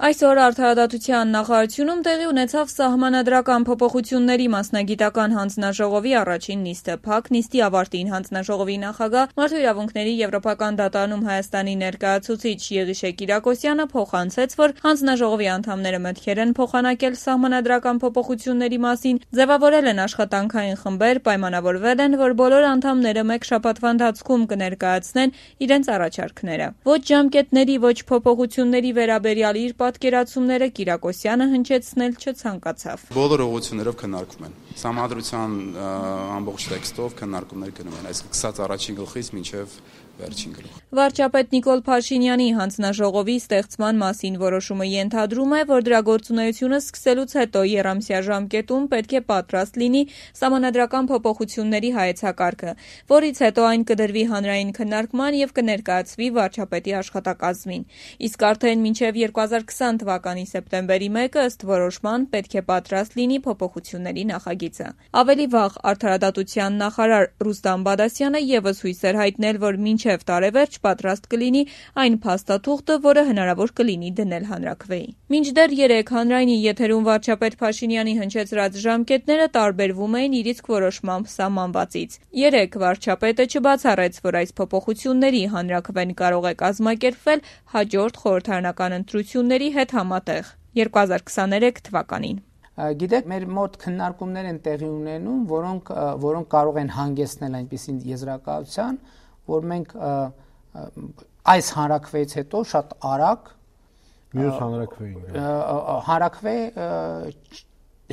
Այսօր Արդարադատության նախարարությունում տեղի ունեցավ սահմանադրական փոփոխությունների մասնագիտական հանձնաժողովի առաջին նիստը։ Փակ նիստի ավարտին հանձնաժողովի նախագահ, Մարդու իրավունքների եվրոպական դատարանում Հայաստանի ներկայացուցիչ Եղիշե Կիրակոսյանը փոխանցեց, որ հանձնաժողովի անդամները մտքեր են փոխանակել սահմանադրական փոփոխությունների մասին, ձևավորել են աշխատանքային խմբեր, պայմանավորվել են, որ բոլոր անդամները մեկ շաբաթվա ընթացքում կներկայացնեն իրենց առաջարկները։ Ոչ ժամկետների, ոչ փոփոխությունների վերաբերյալ իր պատկերացումները Կիրակոսյանը հնչեցնել չցանկացավ։ Բոլոր ուղղություններով քննարկվում են։ Սահմանադրության ամբողջ տեքստով քննարկումներ գնում են, այսինքն սկսած առաջին գլխից մինչև վերջին գլուխ։ Վարչապետ Նիկոլ Փաշինյանի հանձնաժողովի ստեղծման մասին որոշումը ենթադրում է, որ դրա գործունեությունը սկսելուց հետո եռամսյա ժամկետում պետք է պատրաստ լինի սահմանադրական փոփոխությունների հայեցակարգը, որից հետո այն կդրվի հանրային քննարկման եւ կներկայացվի վարչապետի աշխատակազմին։ Իսկ արդեն մինչև 2020 թվականի սեպտեմբերի 1-ը ըստ որոշման պետք է պատրաստ լինի փոփոխությունների նախագիծը։ Ավելի վաղ Արդարադատության նախարար Ռուստամ Բադասյանը եւս հույս էր հայտնել, որ մինչև տարեվերջ պատրաստ կլինի այն փաստաթուղթը, որը հնարավոր կլինի դնել հանրաքվեի։ Մինչդեռ 3 հանրայինի եթերում վարչապետ Փաշինյանի հնչեցրած ժամկետները տարբերվում էին իր իսկ որոշմամբ սահմանվածից։ 3 վարչապետը չբացառեց, որ այս փոփոխությունների հանրաքվեն կարող է կազմակերպվել հաջորդ խորհրդարանական ընտրությունների հետ համատեղ 2023 թվականին։ Գիտեք, մեր մոտ քննարկումներ են տեղի ունենում, որոնք կարող են հանգեցնել այնպիսի եզրակացության, որ մենք այս հանրաքվեից հետո շատ արագ մյուս հանրաքվե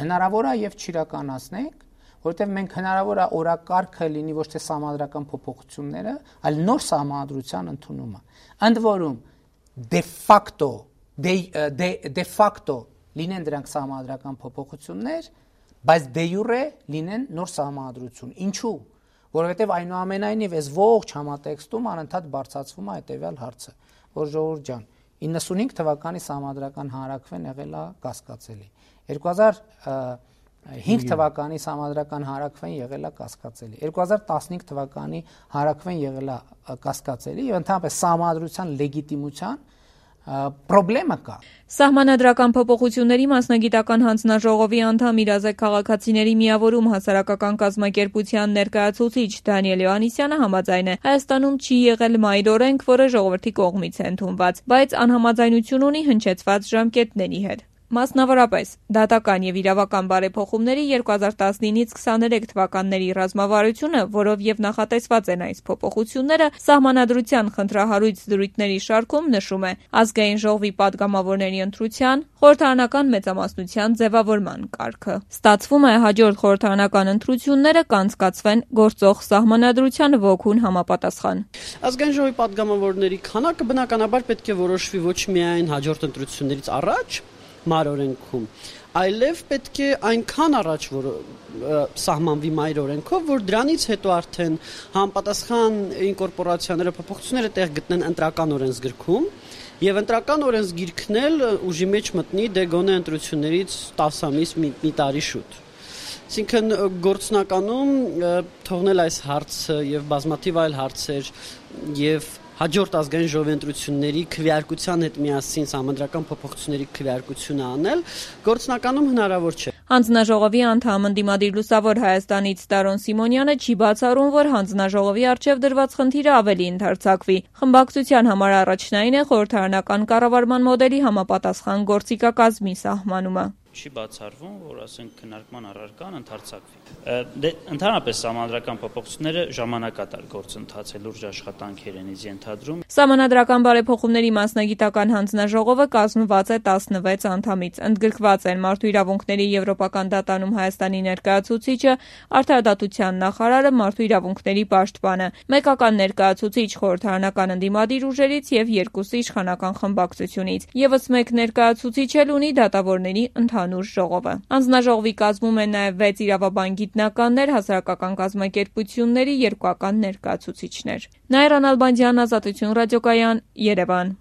հնարավոր է եւ չիրականացնենք, որովհետեւ մենք հնարավոր է օրակարգը լինի ոչ թե սահմանադրական փոփոխությունները, այլ նոր սահմանադրության ընդունումը։ Ընդ որում de facto լինեն դրանք սահմանադրական փոփոխություններ, բայց de jure լինեն նոր սահմանադրություն։ Ինչու՞։ Որովհետև այնուամենայնիվ այս ողջ համատեքստում անընդհատ բարձրացվում է հետևյալ հարցը, որ ժողովուրդ ջան, 95 թվականի սահմանադրական հանրաքվեն եղել է կասկածելի, 2005 թվականի սահմանադրական հանրաքվեն եղել է կասկածելի, 2015 թվականի հանրաքվեն եղել է կասկածելի եւ ընդհանրապես սահմանադրության լեգիտիմության պրոբլեմը կա։ Սահմանադրական փոփոխությունների մասնագիտական հանձնաժողովի անդամ Իրազեկ քաղաքացիների միավորում հասարակական կազմակերպության ներկայացուցիչ Դանիել Հովհաննիսյանը համաձայն է, Հայաստանում չի եղել մայր օրենք, որը ժողովրդի կողմից է ընդունված, բայց անհամաձայնություն ունի հնչեցված ժամկետների հետ։ Մասնավորապես, դատական եւ իրավական բարեփոխումների 2019-ից 23 թվականների ռազմավարությունը, որով եւ նախատեսված են այս փոփոխությունները, սահմանադրության խնդրահարույց դրույթների շարքում նշում է ազգային ժողովի падգամավորների ընտրության, խորհրդարանական մեծամասնության ձևավորման կարգը։ Ստացվում է հաջորդ խորհրդարանական ընտրությունները կանցկացվեն գործող սահմանադրության ոգուն համապատասխան։ Ազգային ժողովի падգամավորների քանակը բնականաբար պետք է որոշվի ոչ միայն հաջորդ ընտրություններից առաջ մայր օրենքում, այլև պետք է այնքան առաջ որ սահմանվի մայր օրենքով, որ դրանից հետո արդեն համապատասխան ինկորպորացիաները, փոփոխությունները տեղ գտնեն ընտրական օրենսգրքում, եւ ընտրական օրենսգիրքն էլ ուժի մեջ մտնի դե գոնե ընտրություններից 10 ամիս մի տարի շուտ։ Այսինքն գործնականում թողնել այս հարցը եւ բազմաթիվ այլ հարցեր եւ հաջորդ ազգային ժողովի ընտրությունների քվեարկության հետ միասին սահմանադրական փոփոխությունների քվեարկությունը անել գործնականում հնարավոր չէ։ Հանձնաժողովի անդամ ընդդիմադիր Լուսավոր Հայաստանից Տարոն Սիմոնյանը չի բացառում, որ հանձնաժողովի առջև դրված խնդիրը ավելի ընդարձակվի։ Խմբակցության համար առաջնային է խորհրդարանական կառավարման մոդելի համապատասխան գործիքակազմի սահմանումը։ Չի բացառվում, որ ասենք քննարկման առարկան ընդարձակվի։ Ընդհանրապես սահմանադրական փոփոխությունները ժամանակատար գործընթաց է, լուրջ աշխատանքեր են ենթադրում։ Սահմանադրական բարեփոխումների մասնագիտական հանձնաժողովը կազմված է 16 անդամից։ Ընդգրկված են Մարդու իրավունքների եվրոպական դատարանում Հայաստանի ներկայացուցիչը, Արդարադատության նախարարը, Մարդու իրավունքների պաշտպանը, մեկական ներկայացուցիչ խորհրդարանական ընդդիմադիր ուժերից եւ 2 իշխանական խմբակցությունից։ Եվս մեկ ներկայացուցիչ էլ ունի դատավորների ընդհանուր ժողովը։ Հանձնաժողովի կազմում են նաև 6 իրավաբան գիտնականներ, հասարակական կազմակերպությունների 2 ներկայացուցիչներ։ Նաիրա Նալբանդյան, Ազատություն ռադիոկայան, Երևան։